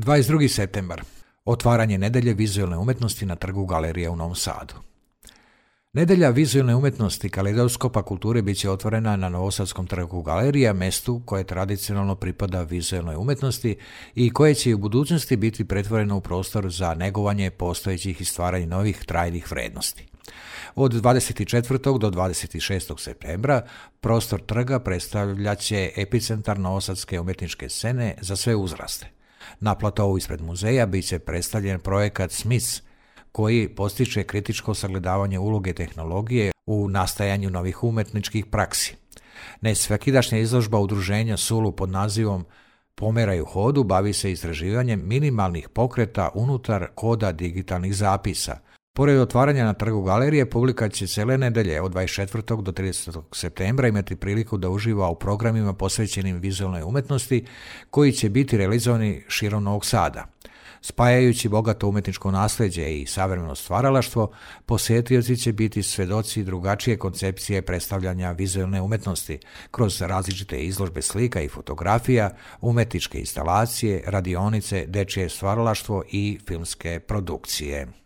22. septembar. Otvaranje Nedelje vizualne umjetnosti na trgu Galerije u Novom Sadu. Nedelja vizualne umjetnosti Kaleidoskopa kulture bit će otvorena na Novosadskom trgu Galerija, mjestu koje tradicionalno pripada vizualnoj umjetnosti i koje će i u budućnosti biti pretvoreno u prostor za negovanje postojećih i stvaranje novih trajnih vrijednosti. Od 24. do 26. septembra prostor trga predstavljat će epicentar novosadske umjetničke scene za sve uzraste. Na platovu ispred muzeja bit će predstavljen projekat Smiths, koji postiče kritičko sagledavanje uloge tehnologije u nastajanju novih umjetničkih praksi. Nesvakidašnja izložba udruženja Sulu pod nazivom Pomeraj u hodu bavi se istraživanjem minimalnih pokreta unutar koda digitalnih zapisa. Pored otvaranja na trgu Galerije, publika će cijele nedelje od 24. do 30. septembra imati priliku da uživa u programima posvećenim vizualnoj umjetnosti koji će biti realizovani širom Novog Sada. Spajajući bogato umjetničko nasljeđe i savremeno stvaralaštvo, posjetioci će biti svjedoci drugačije koncepcije predstavljanja vizualne umjetnosti kroz različite izložbe slika i fotografija, umjetničke instalacije, radionice, dečje stvaralaštvo i filmske produkcije.